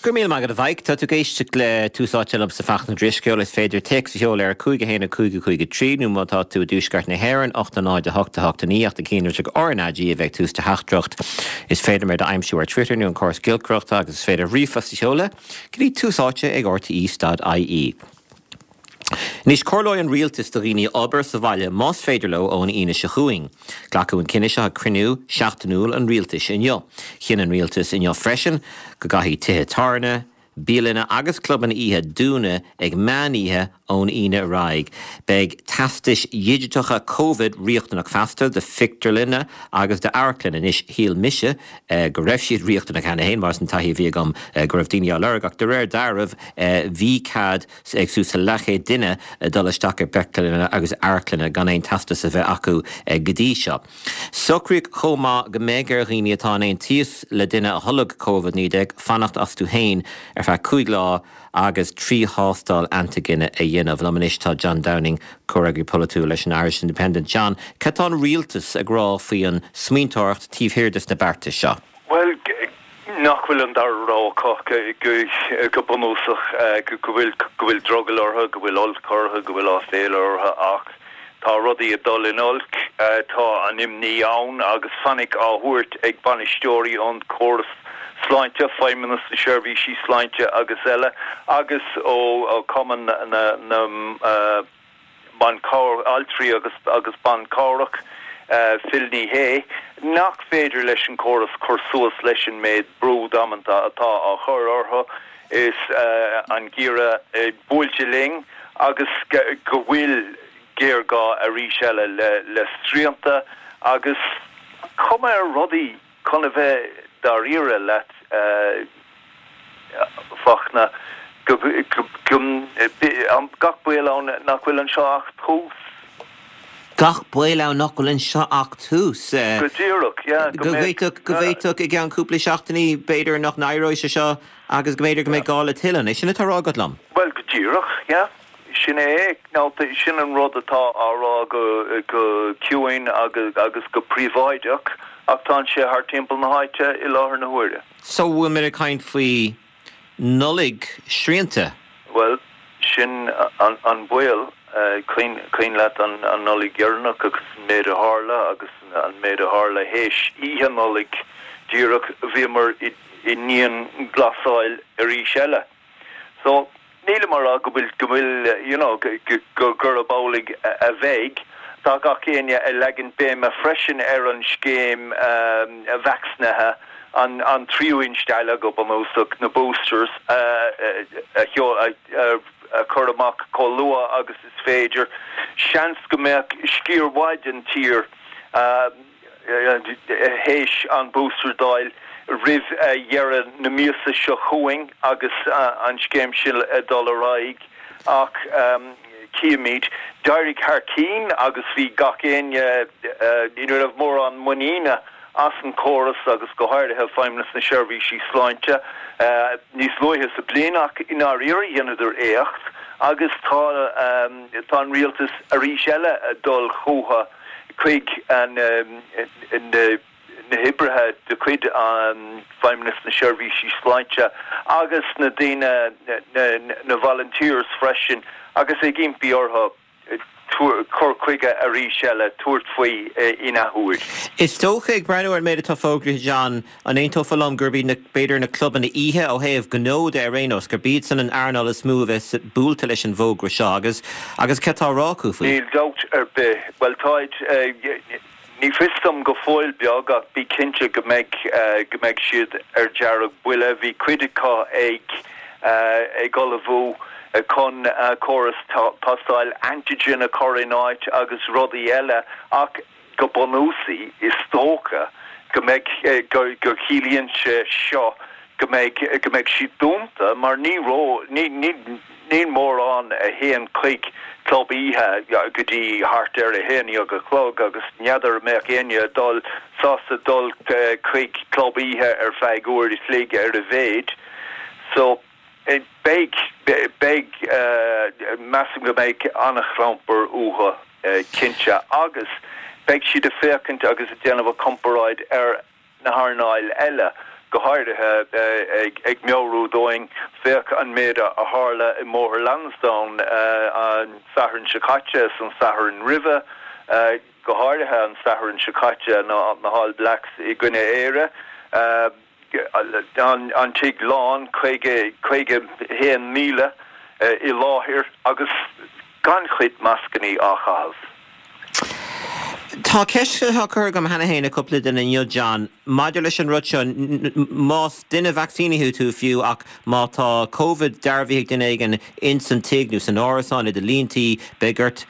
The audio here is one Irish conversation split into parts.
Go raibh míle maith agat a Mhaidhc. Tá tú ag éisteacht le Tús Áite liomsa Fachtna Ó Drisceoil. Is féidir téacs a sheoladh ar 5 1 5 5 3 nó má tá tú i dtuaisceart na hÉireann, 8 0 8 8 9 ach na cinnlitreacha RnaG a bheith ag tús do theachtaireacht. Is féidir mé d'aimsiú ar Twitter nó an córas giolcaireachta agus is féidir ríomhphost a sheoladh go dtí Tús Áite ag rte.ie. Anois, comhairleoidh an Rialtas do dhaoine obair sa bhaile más féidir leo ón Aoine seo chugainn. Glacadh an cinneadh seo ag cruinniú seachtainiúil an Rialtais inniu. Chinn an Rialtas inniu freisin go gcaithfidh tithe tábhairne, bialanna agus clubanna oíche dúnadh ag meán oíche ón Aoine ar aghaidh. Beidh teastais dhigiteacha Covid riachtanach feasta do phictiúrlanna agus d'amharclanna. Anois, shíl mise go raibh siad riachtanach cheana féin mar is an taithí a bhí agam go raibh daoine á lorg ach de réir dealraimh bhí cead ag suas le leathchéad duine dul isteach i bpictiúrlanna agus amharclanna gan aon teastas a bheith acu go dtí seo. Socraíodh chomh maith go mbeidh ar dhaoine atá in aon tíos le duine a tholg Covid-19 fanacht astu féin ar feadh 5 lá agus 3 thástáil antaigine a dhéanamh. Liom anois tá John Downing, Comhfhreagraí Polaitiúil leis an Irish Independent. John, cad tá an rialtas ag rá faoi an smaointeoireacht taobh thiar des na beartais seo? Bhuel, nach bhfuil an dara rogha acu go bunúsach, go bhfuil, go bhfuil drogall orthu, go bhfuil olc orthu, go bhfuil áiféala orthu ach tá rudaí ag dul in olc, tá an imní ann agus fainic á thabhairt ag bainisteoirí an córas sláinte, Feidhmeannas na Seirbhísí Sláinte agus eile agus ó Chumann na na Ban Altraí agus agus Ban Cabhrach, Phil Ní Sheaghdha, nach féidir leis an córas cur suas leis an méid brú damanta atá á chur orthu is an geimhreadh buailte linn agus go bhfuil géarghá arís eile le srianta agus cuma ar rudaí Chun a bheith dáiríre leat, Fachtna, go gach baol ann nach bhfuil anseo ach tús. Gach baol ann nach bhfuil anseo ach tús. Go díreach, yeah. Go bhféadfadh, go bhféadfadh i gceann cúpla seachtainí, b'fhéidir nach n-éireoidh sé seo agus go mb'fhéidir go mbeidh gá le tuilleadh. An é sin atá á rá agat liom? Bhuel, go díreach, yeah. Sin é, now sin an rud atá á rá go ciúin agus go príobháideach ach tá sé thart timpeall na háite i láthair na huaire. So bhfuil muid ag caint faoi Nollaig srianta? Bhuel, sin an baol. Cuimhin leat an Nollaig dheireanach agus an méid a tharla agus an méid a tharla théis Oíche Nollag díreach, bhíomar i ndianghlasáil arís eile. So, nílim á rá go bhfuil, go bhfuil, you know, go, gurb amhlaidh a bheidh. Tá gach éinne ag leagan béime freisin ar an scéim vacsaínithe, an, an tríú instealladh go bunúsach, na boosters, a a chur amach chomh luath agus is féidir. Seans go mbeadh sciar mhaith den tír, théis an booster d'fháil roimh dheireadh na míosa seo chugainn agus an scéim sin ag dul ar aghaidh ach cífimid. D'éirigh thar cinn agus bhí gach éinne, ní raibh mórán muiníne as an chóras agus go háirithe Feidhmeannas na Seirbhísí Sláinte níos luaithe sa bliain ach i ndáiríre dheineadar éacht agus tá tá an rialtas arís eile ag dul chucu chuig na hoibrithe de chuid Feidhmeannas na Seirbhísí Sláinte agus na daoine, na volunteers freisin agus ag impí orthu cur chuige arís eile, tabhairt faoi in athuair. Is dócha, ag breathnú ar an méid atá fógraithe, John, An aontófá liom gurb iad na, b'fhéidir, na clubanna oíche, ó thaobh gnó de ar aon nós, gurb iadsan an earnáil is mó a bheas buailte leis an bhfógra seo agus, agus cad tá á rá acu faoi? Níl dabht ar bith. Bhuel, táid, ní fios dom go fóill beag ach bí cinnte go mbeidh, go mbeidh siad ar dearg-bhuile. Bhí cuid acu ag, ag ullmhú chun córas tástáil antigen a chur in áit agus rudaí eile ach, Go bunúsach, is dócha go mbeidh, go gciallaíonn sé seo go mbeidh, go mbeidh siad dúnta mar ní ró, ní, ní, níl mórán a théann chuig club oíche go dtí thart ar a haon déag a chlog agus n'fheadar an mbeadh éinne ag dul, sásta dul chuig club oíche ar feadh uair a chloig ar a mhéid. So. Beidh, beidh, measaim go mbeidh an-chlampar uathu, cinnte, agus beidh siad ag féachaint agus ag déanamh comparáid ar na hearnáil eile, Go háirithe ag meabhrú dúinn, féach an méid a tharla i mBóthar Lansdowne an Satharn seo caite is an Satharn roimhe, go háirithe an Satharn seo caite, na hAll Blacks i gcoinne Éire, an tigh lán, 51,000 i láthair agus gan chuid mascannaí á chaitheamh. Tá ceist atá curtha agam cheana féin ag cúpla duine inniu, John, maidir leis an rud seo, más duine vacsaínithe tú fiú ach má tá Covid dearbhaithe ag duine éigin ins an tigh nó san árasán i do líon tí, beidh ort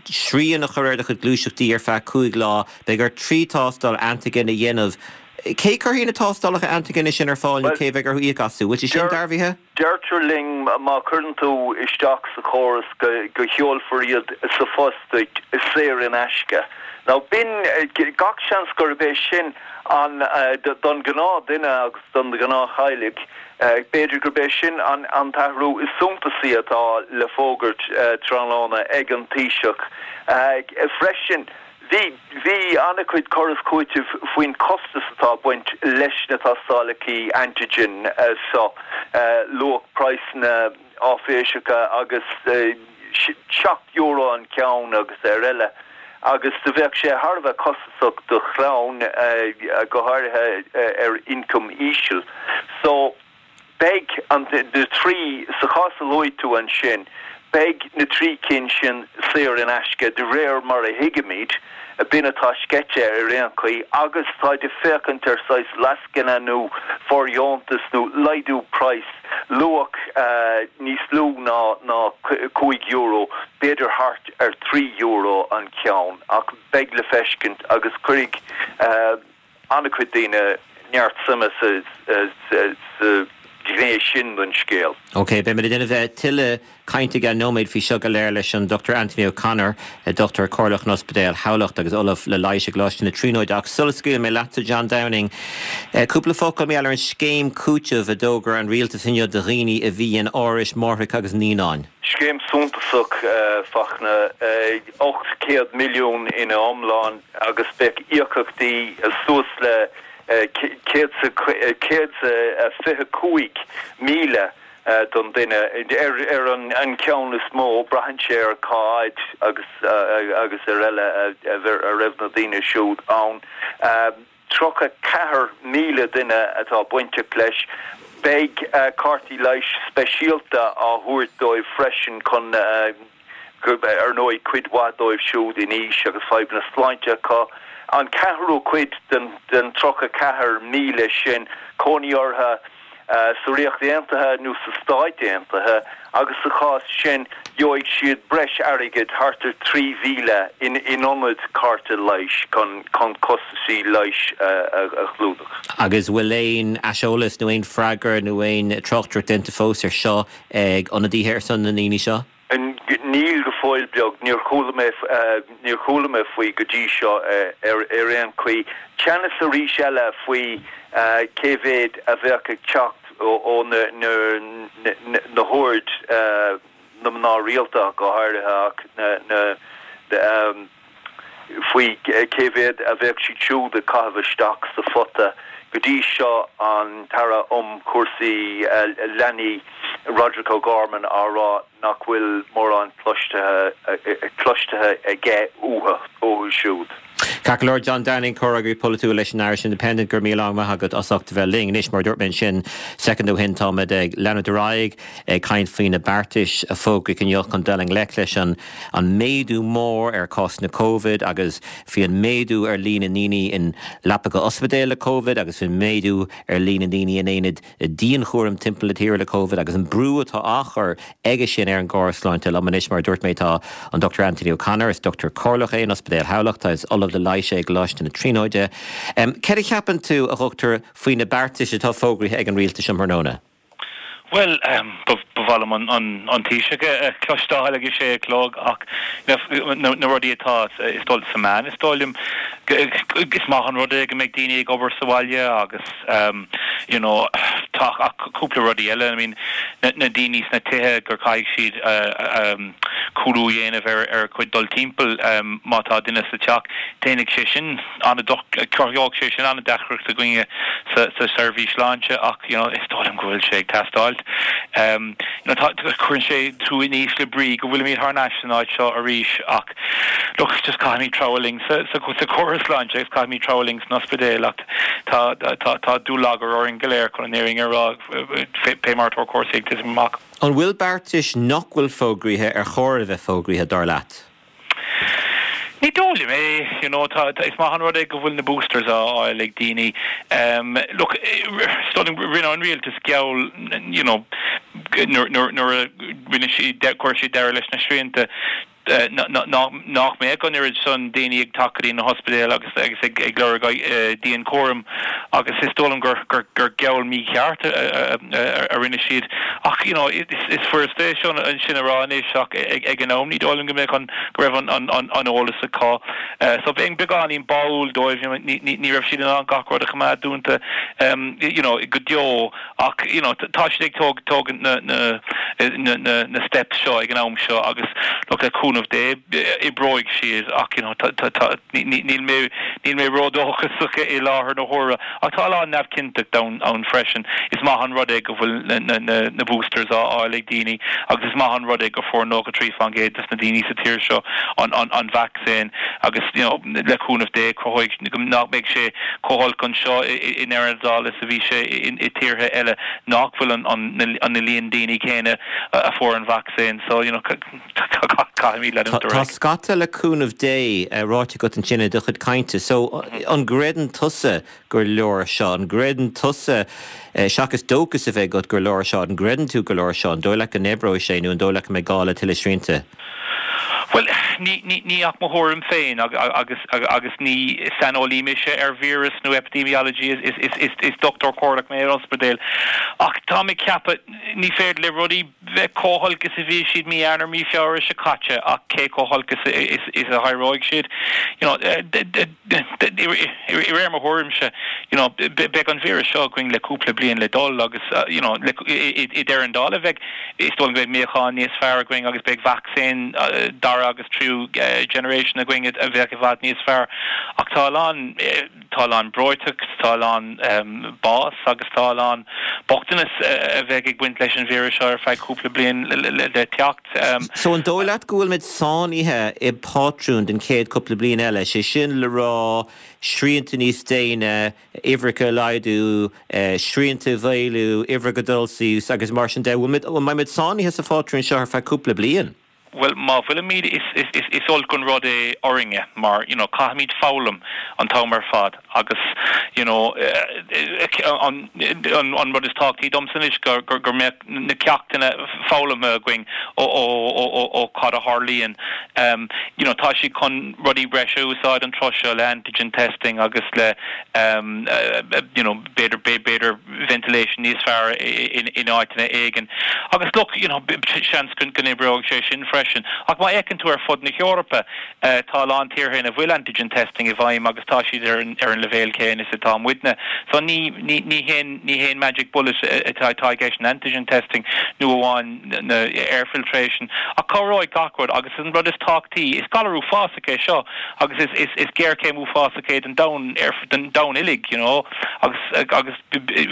srian a chur ar do chuid gluaiseachtaí ar feadh 5 lá, beidh ort 3 tástáil antigen a dhéanamh. Cé cuirfidh na tástálacha antigine sin ar fáil nó cé bheidh orthu íoc astu? Bhfuil sé sin dearbhaithe? Deirtear linn má chuireann tú isteach sa chóras go sheolfar iad sa phost duit saor in aisce. Now b'in, gach seans gurb é sin an, don ghnáth duine agus don ghnáth-theaghlach, b'fhéidir gurb é sin an t-athrú is suntasaí atá le fógairt tráthnóna ag an Taoiseach. Freisin, Bhí, bhí an-chuid cur is cúitimh faoin chostas atá ag baint leis na tástálacha antigen seo, luach praghsanna áiféiseacha agus €7 an ceann agus ar eile, agus do bheadh sé thar a bheith costasach do chlann, go háirithe ar ioncam íseal. So. Beidh an, na trí, sa chás a luaigh tú ansin, beidh na trí cinn sin saor in aisce de réir mar a thuigimid, b'in atá sceite ar aon chaoi, agus táid ag féachaint ar saghas lascaine nó fóirdheontas nó laghdú praghas, luach níos lú ná ná €5, b'fhéidir thart ar €3 an ceann, ach beidh le feiscint agus cuirfidh. an-chuid daoine neart suime sa ghné sin den scéal. Ok, beimid ag déanamh tuilleadh cainte i gceann nóiméad faoi seo go léir leis an Dr Anthony O'Connor, Dochtúir Comhairleach in Ospidéal Thamhlacht agus Ollamh le Leighis i gColáiste na Tríonóide. Ach sula scaoilfidh mé leatsa, John Downing, cúpla focal mar gheall ar an scéim cúitimh a d'fhógair an Rialtas inniu do dhaoine a bhí in árais máithreacha agus naíonáin. Scéim suntasach, Fachtna. 800 milliún ina iomlán agus beidh íocaíochtaí suas le 125,000 don duine ar an cheann is mó. Braitheann sé ar cá fhad agus agus ar eile a raibh na daoine siúd ann. 34,000 duine atá bainteach leis. Beidh cártaí leighis speisialta á thabhairt dóibh freisin chun ar ndóigh, cuid mhaith dóibh siúd in aois agus fadhbanna sláinte acu. An ceathrú cuid den 34,000 sin, cónaí orthu sa Ríocht Aontaithe nó sna Stáit Aontaithe agus sa chás sin gheobhaidh siad breis airgid, thart ar 3,000, in ionad cárta leighis chun costaisí leighis a chlúdach. Agus bhfuil aon aiseolas nó aon freagra nó aon tráchtaireacht déanta fós ar seo ag ionadaithe ar son na ndaoine seo? Níl go fóill beag. Níor chuala mé, níor chuala mé faoi go dtí seo ar aon chaoi. Teannas arís eile faoi cé mhéad a bheadh ag teacht ó na, na hoird, na mná rialta ach go háirithe ach na, na, faoi cé mhéad a bheadh siad siúd ag caitheamh isteach sa phota. Go dtí seo an tAire um Chúrsaí Leanaí Roderic O'Gorman á rá nach bhfuil mórán cloiste aige uathu siúd. Ceart go leor, John Downing, Comhfhreagraí Polaitiúil leis an Irish Independent, go raibh míle maith agat as ucht a bheith linn. Anois, mar a dúirt mé ansin soicind ó shin, táimid ag leanúint ar aghaidh ag caint faoi na beartais a fógraíodh inniu chun dul i ngleic leis an an méadú mór ar chásanna Covid agus faoi an méadú ar líon na ndaoine in leapacha ospidéil le Covid agus faoin méadú ar líon na ndaoine in aonaid dianchúraim timpeall na tíre le Covid agus an brú atá á chur aige sin ar an gcóras sláinte. Liom anois, mar a dúirt mé, tá an Dr Anthony O'Connor, is dochtúir comhairleach é in Ospidéal Thamhlachta, is Ollamh le Leighis é i gColáiste na Tríonóide. Céard a cheapann tú, a dhochtúir, faoi na beartais atá fógraithe ag an rialtas um thráthnóna? Bhuel, ba mhaith liom an Taoiseach a chloisteáil ag a sé a chlog ach na rudaí atá is dul sa meán, is dóigh liom is maith an rud é go mbeidh daoine ag obair sa bhaile agus you know tá ach cúpla rudaí eile, I mean na daoine sna tithe gur caithfidh siad. cúlú a dhéanamh ar a chuid dul timpeall má tá duine sa teach. Déanfaidh sé sin an-, cruthóidh sé sin an-deacracht againne sa seirbhís sláinte ach you know is dóigh liom go bhfuil sé ag teastáilt. You know tá, cuireann sé tú in ísle brí go bhfuilimid thar n-ais san áit seo arís ach look just caithfimid treabhadh linn sa sa chóras sláinte agus caithfimid treabhadh linn san ospidéal ach tá tá tá dúlagar orainn go léir chun an fhírinne a rá fé mar atá cúrsaí ag titim amach. An bhfuil beartais nach bhfuil fógraithe ar chóir a bheith fógraithe, dar leat? Ní dóigh liom é. You know, tá, tá, is maith an rud é go bhfuil na boosters á fháil ag daoine. Um, look, is dóigh liom rinne an rialtas geall, you know, nuair, nuair, nuair a rinne siad, chuir siad deireadh leis na srianta, nach mbeadh an oiread san daoine ag teacht go dtí na hospidéil agus agus ag ag lorg dianchúram agus is dóigh liom gur gur gur geall mícheart a a rinne siad. Ach you know is is furasta é seo sin a rá anois ach ag ag an am ní dóigh liom go mbeadh an go raibh an an an an eolas acu. So bheinn beagáinín báúil dóibh ní ní ní raibh siad in ann gach rud a choimeád dúnta you know go deo. Ach you know tá siad ag tóg tógaint na na na na na steps seo ag an am seo agus look le cúnamh Dé oibreoidh siad ach you know tá tá tá ní ní níl mé níl mé ródhóchasach i láthair na huaire. Ach tá a lán neamhchinnteacht ann ann freisin. Is maith an rud é go bhfuil na na na na boosters á fháil ag daoine agus is maith an rud é go fuair 93% des na daoine sa tír seo an an an vacsaín agus you know le cúnamh Dé cruthóidh nach mbeidh sé chomh holc anseo i ndeireadh na dála is a bhí sé i tíortha eile nach bhfuil an líon daoine céanna a fuair an vacsaín so you know caithfimid leanúint ar aghaidh. Tá scata le cúnamh Dé ráite agat ansin i do chuid cainte so an gcreideann tusa gur leor seo? An gcreideann tusa, seachas dóchas a bheith agat gur leor seo, an gcreideann tú gur leor seo? An dóigh leat go n-oibreoidh sé nó an dóigh leat go mbeidh gá le tuilleadh srianta? Bhuel, ní, ní, ní ach mo thuairim féin agus, agus ní saineolaí mise ar víreas nó epidemiology, is, is, is, is dochtúir comhairleach mé ar ospidéal. Ach táim ag ceapadh, ní féidir le rudaí bheith chomh holc is a bhí siad mí Eanáir, mí Feabhra seo caite ach cé chomh holc is, is, is a éireoidh siad? You know, i réir mo thuairimse, you know, beidh an víreas seo againn le cúpla bliain le dul agus, you know, i ndeireadh na dála bheidh, is dóigh liom go mbeidh míochán níos fearr againn agus beidh vacsaín dara agus tríú generation againn a bheadh i bhfad níos fearr. Ach tá a lán, tá a lán breoiteacht, tá a lán bás agus tá a lán bochtanas a bheidh ag baint leis an víreas seo ar feadh cúpla bliain le teacht. So an dóigh leat go bhfuilimid sáinnithe i bpátrún don chéad cúpla bliain eile, sé sin le rá srianta níos déine, uimhreacha a laghdú, srianta a mhaolú, uimhreacha ag dul suas agus mar sin de. An mbeimid sáinnithe sa phátrún seo ar feadh cúpla bliain? Bhuel, má bhfuilimid, is olc an rud é orainne mar, you know, caithfimid foghlaim an t-am ar fad agus, you know, an rud is tábhachtaí domsa anois go mbeadh na ceachtanna foghlamtha againn ó cad a tharlaíonn. You know, tá siad chun rudaí breise a úsáid an tráth seo le antigen testing agus le, you know, b'fhéidir, b'fhéidir ventilation níos fearr in áiteanna éigin. Agus look, you know, seans go n-oibreoidh sé sin freisin. Ach má fhéachann tú ar fud na hEorpa, tá a lán tíortha ina bhfuil antigen testing i bhfeidhm agus tá siad ar an ar an leibhéal céanna is atá muidne. So ní ní ní haon ní haon magic bullet atá atá i gceist in antigen testing nó amháin na air filtration. Ach cabhróidh gach rud agus an rud is tábhachtaí, is galar uafásach é seo agus is is is géarchéim uafásach é don domhan ar don domhan uilig, you know, agus agus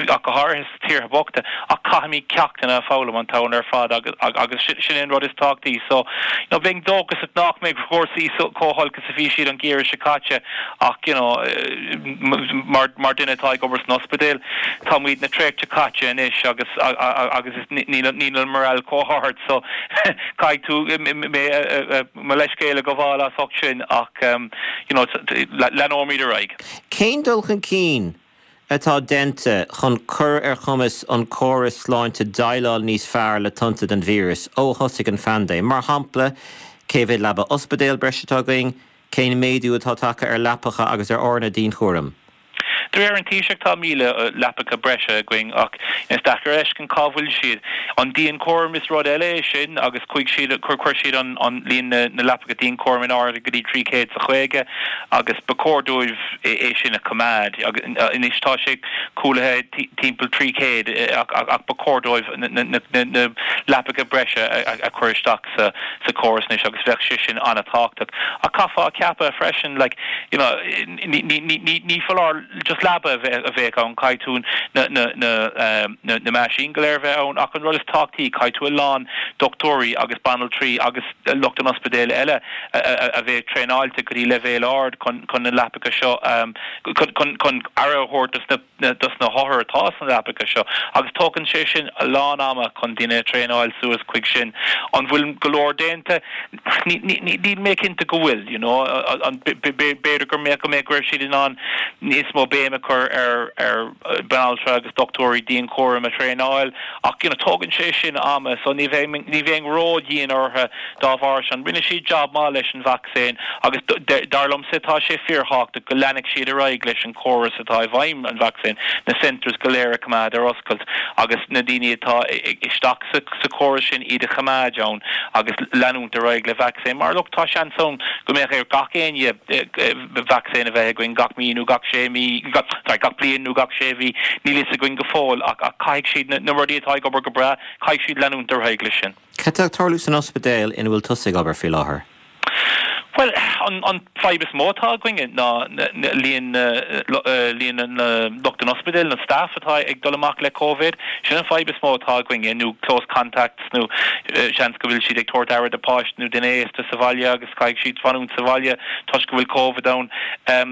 ach go háirithe sna tíortha bochta, ach caithfimid ceachtanna a foghlaim an t-am ar fad agus agus sin é an rud is tábhachtaí. So, you know, bheinn dóchasach nach mbeidh cúrsaí chomh holc is a bhí siad an geimhreadh seo caite ach, you know, mar mar duine atá ag obair san ospidéal, tá muid na traochta caite anois agus agus is níl níl an morale chomh hard so caithfidh tú mé mo leithscéal a ghabháil as ucht sin ach, you know, leanóimid ar aghaidh. Cén dul chun cinn atá déanta chun cur ar chumas an córas sláinte déileáil níos fearr le tonnta den víreas ó thosaigh an phaindéim? Mar shampla, cé mhéad leaba ospidéil breise atá againn? Cén méadú atá tagtha ar leapacha agus ar fhoirne dianchúraim? De réir an Taoiseach tá 1,000 leapacha breise againn ach is deacair a fheiscint cá bhfuil siad. An dianchúram is rud eile é sin agus chuaigh siad, chuir siad an líon na leapacha dianchúraim in airde go dtí 350 agus ba chóir dóibh é sin a choimeád. Anois tá sé cúlaithe timpeall 300 ach ba chóir dóibh na leapacha breise a chur isteach sa chóras anois agus bheadh sé sin an-tábhachtach. Ach caithfeá a cheapadh freisin like you know ní foláir just leaba a bheadh ann, caithfidh tú na meaisín go léir a bheith ann ach an rud is tábhachtaí caithfidh tú a lán dochtúirí agus banaltraí agus lucht an ospidéil eile a bheith traenáilte go dtí leibhéal ard chun na leapacha seo chun aire a thabhairt dos na dos na hothair atá sna leapacha seo agus tógann sé sin a lán ama chun duine a thraenáil suas chuig sin. An bhfuil go leor déanta? Níl mé cinnte go bhfuil, you know. B'fhéidir go mbeadh, go mbeadh, go raibh siad in ann níos mó béim a chur ar ar banaltra agus dochtúirí dianchúraim a thraenáil ach, you know, tógann sé sin ama so ní bheinn, ní bheinn ró-dhian orthu dá bharr sin. Rinne siad jab maith leis an vacsaín agus dar liomsa tá sé fíorthábhachtach go leanfadh siad ar aghaidh leis an córas atá i bhfeidhm, an vacsaín, na centres go léir a choimeád ar oscailt agus na daoine atá isteach sa chóras sin iad a choimeád ann agus leanúint ar aghaidh le vacsaín mar look tá seans ann go mbeadh ar gach éinne vacsaín a bheith againn gach mí nó gach sé mí, sorry, gach bliain nó gach sé mhí, níl fhios againn go fóill ach caithfidh siad na rudaí atá ag obair go breá, caithfidh siad leanúint ar aghaidh leis sin. Cad tá ag tarlú san ospidéal ina bhfuil tusa ag obair faoi láthair? Bhuel, an fadhb is mó atá againne ná líon líon na lucht an ospidéil, na staff atá ag dul amach le Covid. Sin an fadhb is mó atá againne, nó close contacts nó seans go bhfuil siad ag tabhairt aire do pháiste nó duine aosta sa bhaile agus caithfidh siad fanúint sa bhaile toisc go bhfuil Covid ann.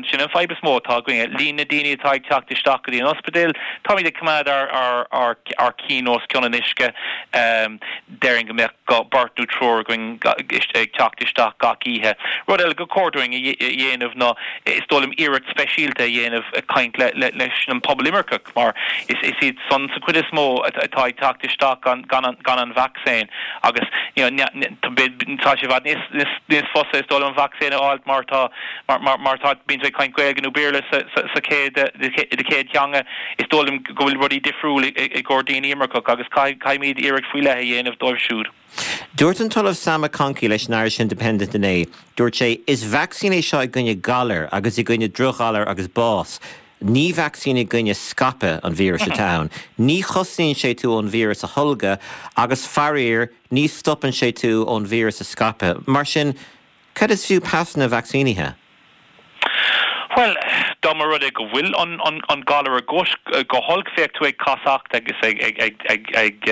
Sin an fadhb is mó atá againne. Líon na daoine atá ag teacht isteach go dtí an ospidéal, táimid ag coimeád ár ár cinn os cionn an uisce. Déarfainn go mbeadh beirt nó triúr againn ag teacht isteach gach oíche. Rud eile gur chóir dúinn a dhéanamh ná, is dóigh liom, iarracht speisialta a dhéanamh ag caint leis an pobal imirceach mar is iad san sa chuid is mó atá ag teacht isteach gan an vacsaín agus tá sé i bhfad níos fusa is dóigh liom an vacsaín a fháilt mar tá mar tá bíonn tú ag caint Gaeilge nó Béarla sa chéad do chéad theanga. Is dóigh liom go bhfuil rudaí difriúil i gcomhair daoine imirceach agus caithfimid iarracht faoi leith a dhéanamh dóibh siúd. Dúirt an tOllamh Sam McConkey leis an Irish Independent inné, dúirt sé, Is vacsaín é seo i gcoinne galair agus i gcoinne drochghalair agus bás. Ní vacsaín i gcoinne scaipeadh an víris atá ann. Ní chosnaíonn sé tú ón víreas a tholgadh agus, faraor, ní stopann sé tú ón víreas a scaipeadh. Mar sin, Cad is fiú pasanna vacsaínithe? Bhuel, dá mba rud é go bhfuil an galar agat go holc, bheadh tú ag casacht agus ag ag ag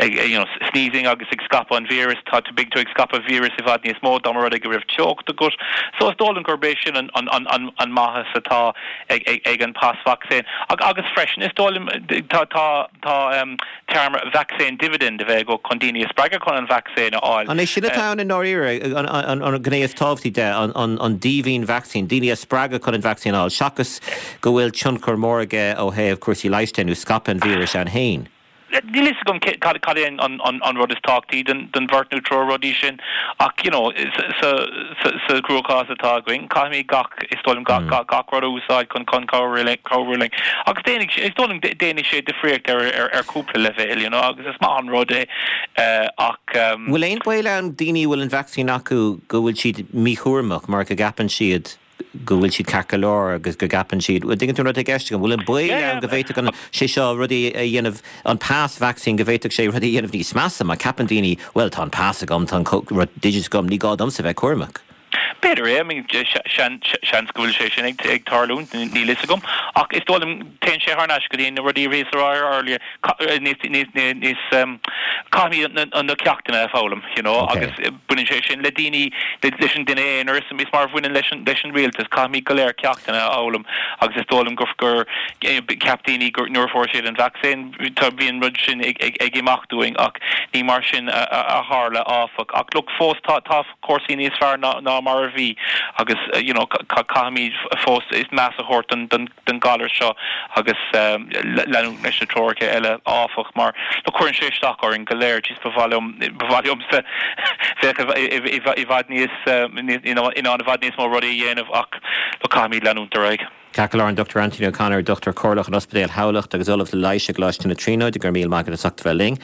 you know sneezing agus ag scaipeadh an víreas, tá tú, beidh tú ag scaipeadh víreas i bhfad níos mó dá mba rud é go raibh teocht agat. So is dóigh liom gurb é sin an maitheas atá ag an pas vacsaín. Agus freisin is dóigh liom tá tá tá téarma vaccine dividend a bheith agat chun daoine a spreagadh chun an vacsaín a fháil. An é sin atá ann i ndáiríre, an ghné is tábhachtaí de, an díbhinn vacsaín, daoine a spreagadh chun an vacsaín a fháil, seachas go bhfuil tionchar mór aige ó thaobh cúrsaí leighis de nó scaipeadh an víris ann féin? Níl fhios agam cad é an rud is tábhachtaí den bheirt nó triúr rudaí sin ach you know sa chruachás atá againn caithfimid gach, is dóigh liom, gach rud a úsáid chun cabhrú linn. Agus déanfaidh sé, is dóigh liom, déanfaidh sé difríocht ar chúpla leibhéal, you know, agus is maith an rud é ach. Bhfuil aon baol ann daoine a bhfuil an vacsaín acu go bhfuil siad míchúramach mar go gceapann siad go bhfuil siad ceart go leor agus go gceapann siad, bhuel, dtuigeann tú an rud atá i gceist agam, bhfuil an baol ann go bhféadfadh an, sé seo rudaí a dhéanamh, an pas vacsaín go bhféadfadh sé rudaí a dhéanamh níos measa má ceapann daoine, bhuel, tá an pas agam, tá an rud digiteach agam, ní gá domsa bheith cúramach. B'fhéidir é, I mean, seans go bhfuil sé sin ag tarlúint, níl fhios agam. Ach is dóigh liom, téann sé thar n-ais go dtí na rudaí a bhíos a rá earlier, níos, níos, níos, caithfimid na ceachtanna a foghlaim, you know, agus baineann sé sin le daoine, leis an duine aonair, is mar a bhaineann leis an, leis an rialtas, caithfimid go léir ceachtanna a fhoghlaim agus is dóigh liom gur, gur cheap daoine gur, nuair a fuair siad an vacsaín, tá, bhí an rud sin ag, ag, ag imeacht uainn ach ní mar sin a, a tharla, áfach. Ach look, fós tá, tá, cúrsaí níos fearr ná mar a bhí agus you know caithfimid fós meas a thabhairt don galar seo agus leanúint leis na treoracha eile áfach mar look cuireann sé isteach orainn go léir jeez ba mhaith liom ba mhaith liomsa bheith i bhfad níos in ann i bhfad níos mó rudaí a dhéanamh ach look caithfimid leanúint ar aghaidh. Ceart go leor, an Dr Anthony O'Connor, Dochtúir Comhairleach in Ospidéal Thamhlachta agus Ollamh le Leighis i gColáiste na Tríonóide, go raibh míle maith agat as ucht a bheith linn.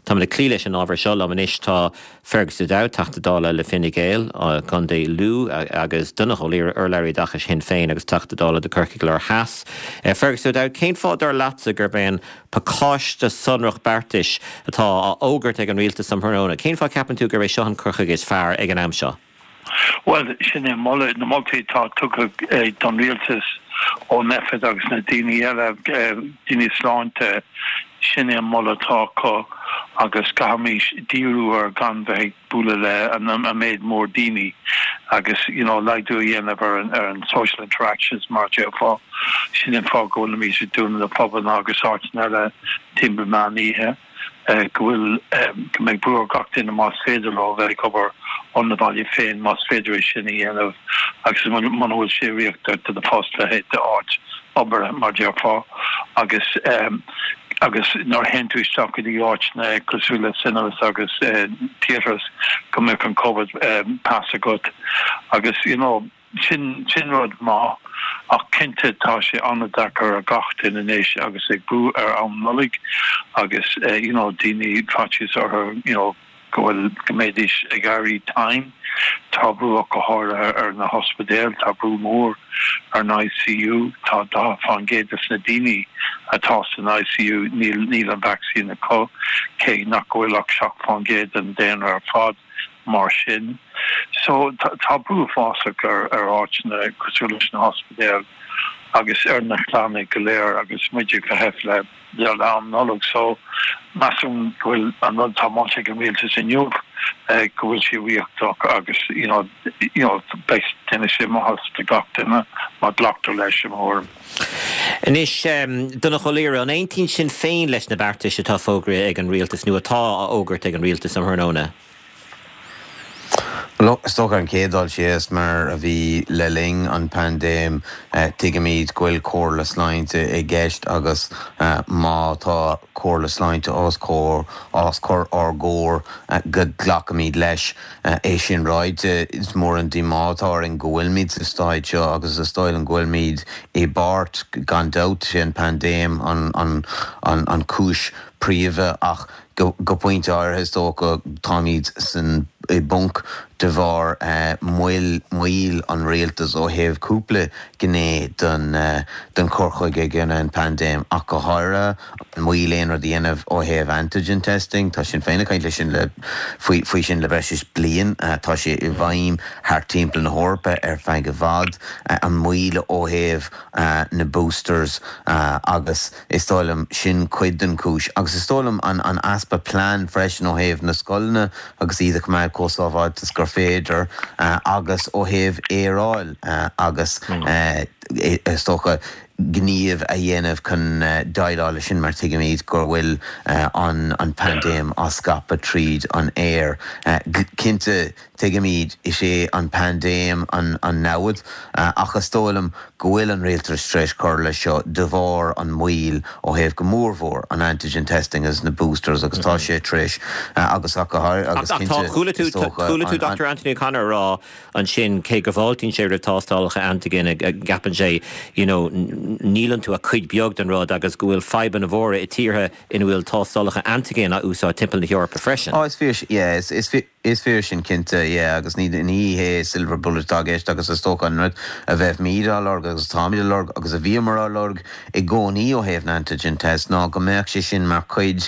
Táimid ag cloí leis an ábhar seo liom anois tá Fergus O'Dowd, Teachta Dála le Fine Gael, Contae Lú, agus Donnchadh Ó Laoghaire, urlabhraí oideachais Shinn Féin agus Teachta Dála do Corcaigh Láir Theas. Fergus O'Dowd, cén fáth dar leatsa gurb é an pacáiste sonrach beartais atá á fhógairt ag an rialtas um thráthnóna, cén fáth a ceapann tú gurb é seo an cur chuige is fearr ag an am seo? Bhuel, sin é an moladh, na moltaí atá tugtha don rialtas ó Nphet agus na daoine eile, daoine sláinte, sin é an moladh atá acu agus caithfimís díriú ar gan bheith ag bualadh le an méid mór daoine agus you know laghdú a dhéanamh ar an ar an social interactions mar a déarfá. Sin an fáth go bhfuilimís ag dúnadh na pubanna agus áiteanna eile timpeall meán oíche. go bhfuil, go mbeidh brú ar gach duine más féidir leo bheith ag obair óna bhaile féin, más féidir é sin a dhéanamh agus muna bhfuil sé riachtanach do do phost le d'áit oibre, mar déarfá, agus agus nuair a théann tú isteach go dtí áiteanna cosúil le cinemas agus theatres go mbeadh an Covid pass agat agus you know. Sin, sin rud maith, ach cinnte tá sé an-deacair ar gach duine anois agus ag brú ar am Nollaig agus you know daoine faitíos orthu you know go bhfuil, go mbeidís ag éirí tinn. Tá brú ach go háirithe ar na hospidéil, tá brú mór ar an ICU, tá 40% des na daoine atá san ICU níl, níl an vaccine acu, cé nach bhfuil ach 7% den daonra ar fad. mar sin. So tá brú uafásach ar áiteanna cosúil leis na hospidéil agus ar na clanna go léir agus muid ag feitheamh le le am Nollag. So measaim go bhfuil an rud atá molta ag an rialtas inniu go bhfuil sé riachtanach agus you know you know beidh déanfaidh sé maitheas do gach duine má glactar leis i mo thuairim. Anois, Donnchadh Ó Laoghaire, an aontaíonn Sinn Féin leis na beartais atá fógraithe ag an rialtas nó atá á fhógairt ag an rialtas um thráthnóna? Bhuel, is dócha ar an chéad dul síos, mar a bhí le linn an paindéim, tuigimid go bhfuil comhairle sláinte i gceist agus má tá comhairle sláinte os comhair, os cur ár gcomhair, go nglacfaimid leis. É sin ráite, is mór an díomá atá orainn go bhfuilimid sa staid seo agus is dóigh liom go bhfuilimid i bpáirt, gan dabht, sé an paindéim an chúis príomha ach Go pointe áirithe, is dócha, táimid san i bponc de bharr moill, moill an rialtais ó thaobh cúpla gné den den chur chuige i gcoinne an paindéim, ach go háirithe an moill aon rud a dhéanamh ó thaobh antigen testing. Tá Sinn Féin ag caint leis sin le faoi faoi sin le breis is bliain. Tá sé i bhfeidhm thart timpeall na hEorpa ar feadh i bhfad. An moill ó thaobh na boosters agus. Is dóigh liom, sin cuid den chúis. Agus is dóigh liom an an easpa plean freisin ó thaobh na scoileanna agus iad a choimeád chomh sábháilte is gur féidir agus ó thaobh aeráil agus is dócha gníomh a dhéanamh chun déileáil leis sin mar tuigimid go bhfuil an an paindéim á scaipeadh tríd an aer. Cinnte Tuigimid, is é an paindéim an namhaid, ach is dóigh liom go bhfuil an rialtas tar éis cur leis seo de bharr an moill ó thaobh go mórmhór an antigen testing agus na boosters agus tá sé tar éis agus ach go háirithe agus Ach tá, cinnte chuala tú, is dócha chuala tú an, an. Doctor Anthony O'Connor a rá ansin cé go bhfáiltíonn sé roimh tástálacha antigen a gceapann sé you know níl iontu ach cuid beag den rud agus go bhfuil fadhbanna mhóra i tíortha ina bhfuil tástálacha antigen á úsáid timpeall na hEorpa freisin. Á is fíor, yeah, is, is fíor. Is fíor sin cinnte, yeah, agus ní ní hé silver bullet atá i gceist agus is dócha an rud a bheimid á lorg agus atáimid á lorg agus a bhíomar á lorg i gcónaí ó thaobh na antigen test ná go mbeadh sé sin mar chuid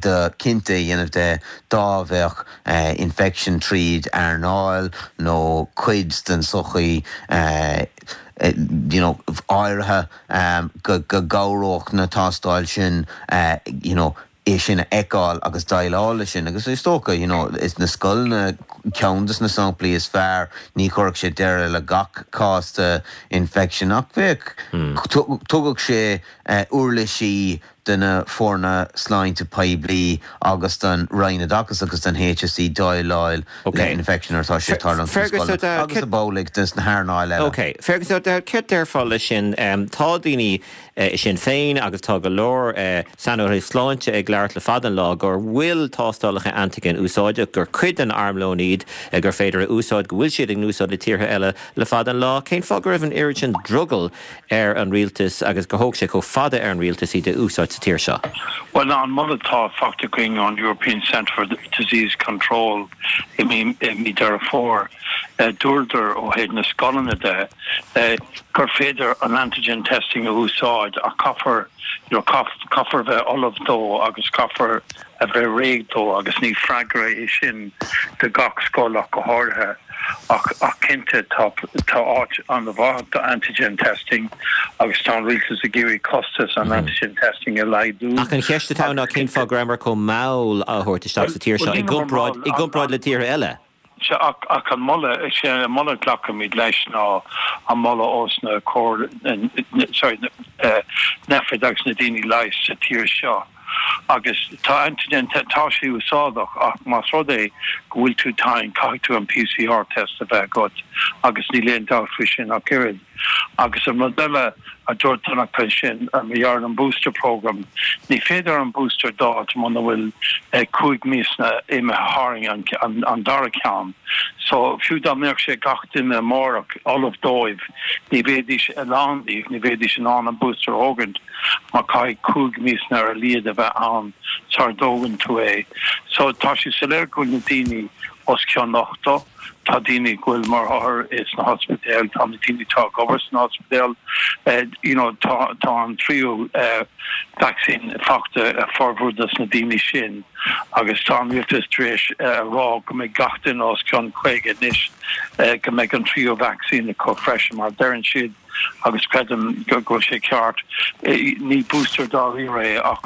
de cinnte a dhéanamh de dá bheadh infection tríd earnáil nó cuid den sochaí you know áirithe go go gcabhródh na tástáil sin you know é sin a fheiceáil agus déileáil leis sin agus is dócha you know is na scoileanna ceann de na samplaí is fearr, ní chuirfeadh sé deireadh le gach cás de infection ach bheadh, tugadh sé uirlisí de na foirne sláinte poiblí agus don Roinn Oideachais agus don HSE déileáil le infection nuair atá sé ag tarlúint sna scoileanna agus ab amhlaidh dos na hearnáil eile. Ok. Fergus O'Dowd, céard déarfá leis sin? Tá daoine i Sinn Féin agus tá go leor saineolaithe sláinte ag labhairt le fada an lá gur bhfuil tástálacha antigen úsáideach, gur cuid den armlón iad, gur féidir a úsáid, go bhfuil siad in úsáid i tíortha eile le fada an lá. Cén fáth go raibh an oiread sin drogall ar an rialtas agus gur thóg sé chomh fada ar an rialtas iad a úsáid sa tír seo? Bhuel, an moladh atá faighte againn ón European Centre for Disease Control i mí Deireadh Fómhair, dúradar ó thaobh na scoileanna de gur féidir an antigen testing a úsáid ach caithfear, you know, caithfear a bheith ullamh dó agus caithfear a bheith réidh dó agus ní freagra é sin do gach scoil ach go háirithe. Ach ach cinnte tá tá áit an-mhaith do antigen testing agus tá an rialtas ag iarraidh costas an antigen testing a laghdú. Ach an cheist atá ann ná cén fáth go rabhamar chomh mall á thabhairt isteach sa tír seo i gcomparáid i gcomparáid le tíortha eile? Sea, ach ach an moladh, is é an moladh a ghlacaimid leis ná an moladh ós na comhairle, sorry, Nphet agus na daoine leighis sa tír seo. Agus tá antigen, tá sé úsáideach ach más rud é go bhfuil tú tinn, caithfidh tú an PCR test a bheith agat agus níl aon dabht faoi sin ach oiread. Agus an rud eile a dúirt Donncha ansin, mar gheall ar an booster programme, ní féidir an booster d'fháilt muna bhfuil 5 míosa imithe tharainn an dara ceann. So fiú dá mbeadh sé gach duine amárach ullamh dóibh, ní bheidís, a lán díobh, ní bheidís in ann an booster a thógaint mar caithfidh 5 míosa ar a laghad a bheith ann sara dtógann tú é. So tá sé soiléir go bhfuil na daoine os cionn 80, Tá daoine go bhfuil mar othair sna hospidéil, tá na daoine atá ag obair sna hospidéil, you know tá tá an tríú vacsaín faighte ag formhór dos na daoine sin agus tá an rialtas tar éis a rá go mbeidh gach duine os cionn 50 anois go mbeidh an tríú vacsaín acu freisin mar deireann siad agus creidim go bhfuil sé ceart. Ní booster dáiríre é ach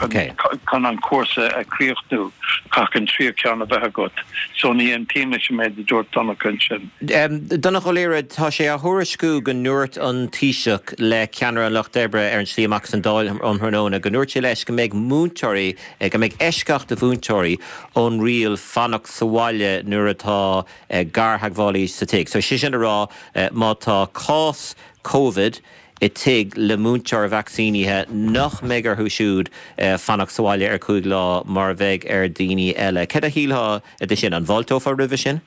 chun an cúrsa a chríochnú, caithfidh an tríú ceann a bheith agat. So ní aontaím leis an méid a dúirt Donncha ansin. Donncha Ó Laoghaire, tá sé á thuairisciú go ndúirt an Taoiseach le ceannaire an Lucht Oibre ar an tslí amach as an Dáil um thráthnóna go ndúirt sé leis go mbeidh múinteoirí, go mbeidh eisceacht do mhúinteoirí ón riail fanacht sa bhaile nuair atá gartheagmhálaí sa tigh. So sé sin a rá má tá cás Covid i tigh le múinteoir vacsaínithe nach mbeidh orthu siúd fanacht sa bhaile ar 5 lá mar a bheidh ar daoine eile. Céard a shílfeá de sin? An bhfáilteofá roimhe sin?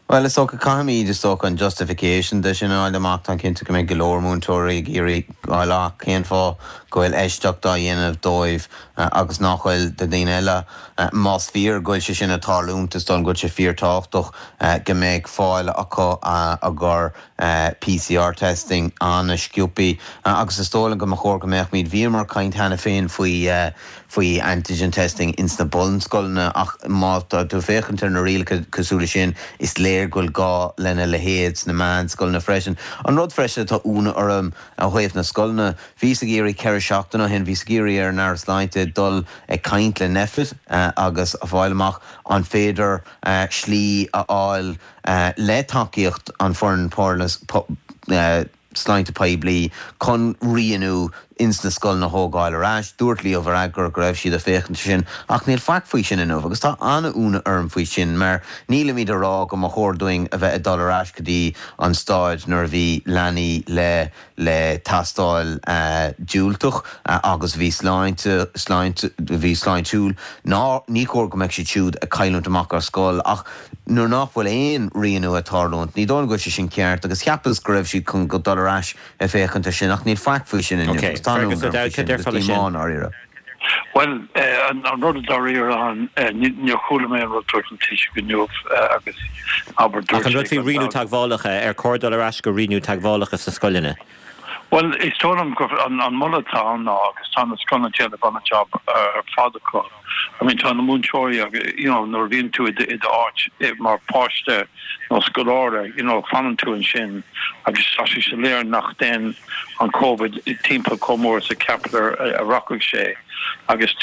Bhuel, is dócha, caithfimid, is dócha, an justification de sin a fháil amach. Táim cinnte go mbeidh go leor múinteoirí ag iarraidh fháil amach cén fáth go bhfuil eisceacht á dhéanamh dóibh agus nach bhfuil do dhaoine eile. Más fíor go bhfuil sé sin ag tarlúint, is dóigh liom go bhfuil sé fíortábhachtach go mbeidh fáil acu ar PCR testing an-sciobthaí agus is dóigh liom go mba chóir go mbeadh muid, bhíomar ag caint cheana féin faoi faoi antigen testing ins na bunscoileanna ach má tá tú ag féachaint ar na rialacha cosúil leis sin, is léir go bhfuil gá lena leithéid sna meánscoileanna freisin. An rud freisin atá ionadh orm ó thaobh na scoileanna, bhíos ag iarraidh 4 seachtaine ó shin, bhíos ag iarraidh ar an Aire Sláinte dul ag caint le Nphet agus a fháil amach an féidir slí a fháil le tacaíocht an foireann sláinte poiblí chun rianú ins na scoileanna a thógáil ar ais. Dúirt Leo Varadkar go raibh siad ag féachaint ar sin ach níl faic faoi sin inniu agus tá an-ionadh orm faoi sin mar nílimid a rá go mba chóir dúinn a bheith ag dul ar ais go dtí an staid nuair a bhí leanaí le le tástáil diúltach agus bhí sláinte, sláinte, bhí sláintiúil, ná ní chóir go mbeadh siad siúd ag cailliúint amach ar scoil ach nuair nach bhfuil aon rianú ag tarlúint, ní dóigh liom go bhfuil sé sin ceart agus cheapas go raibh siad chun dul ar ais ag féachaint ar sin ach níl faic faoi sin inniu agus tá an-ionadh orm faoi sin agus díomá i ndáiríre. Bhuel, an rud dáiríre ann, níor chuala mé an rud dúirt an Taoiseach inniu agus abair dúirt sé Ach an rud faoi rianú teagmhálacha, ar chóir dul ar ais go rianú teagmhálacha sna scoileanna? Bhuel, is dóigh liom gur an moladh atá ann ná, agus tá na scoileanna ag déanamh an-jab ar fad acu, I mean tá na múinteoirí agus, you know, nuair a bhíonn tú i d'áit mar pháiste nó scoláire, you know, fanann tú ansin agus tá sé soiléir nach dtéann an Covid timpeall chomh mór is a cheapadar a rachadh sé agus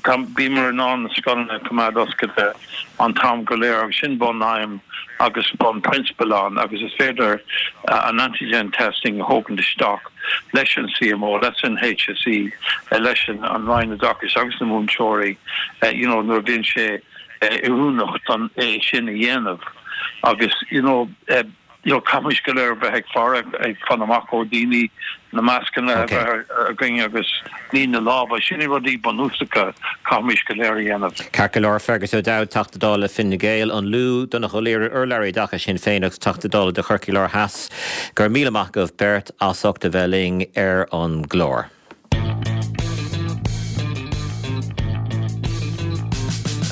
tá, bhíomar in ann na scoileanna a choimeád oscailte an t-am go léir agus sin bun aidhm agus bun prionsabal ann agus is féidir an antigen testing a thógaint isteach. leis an CMO, leis an HSE, leis an Roinn Oideachais agus na múinteoirí you know nuair a bhíonn sé oiriúnach don é sin a dhéanamh agus you know you know caithfimid go léir bheith ag faire, ag fan amach ó daoine, na mascanna a bheith againn agus ní na lámha, sin na rudaí bunúsacha caithfimid go léir a dhéanamh. Ceart go leor, Fergus O'Dowd, Teachta Dála Fine Gael, An Lú, Donnchadh Ó Laoghaire, Urlabhraí Oideachais Shinn Féin agus Teachta Dála do Chorcaigh Láir Theas. Go raibh míle maith agaibh beirt as ucht a bheith linn ar an gclár.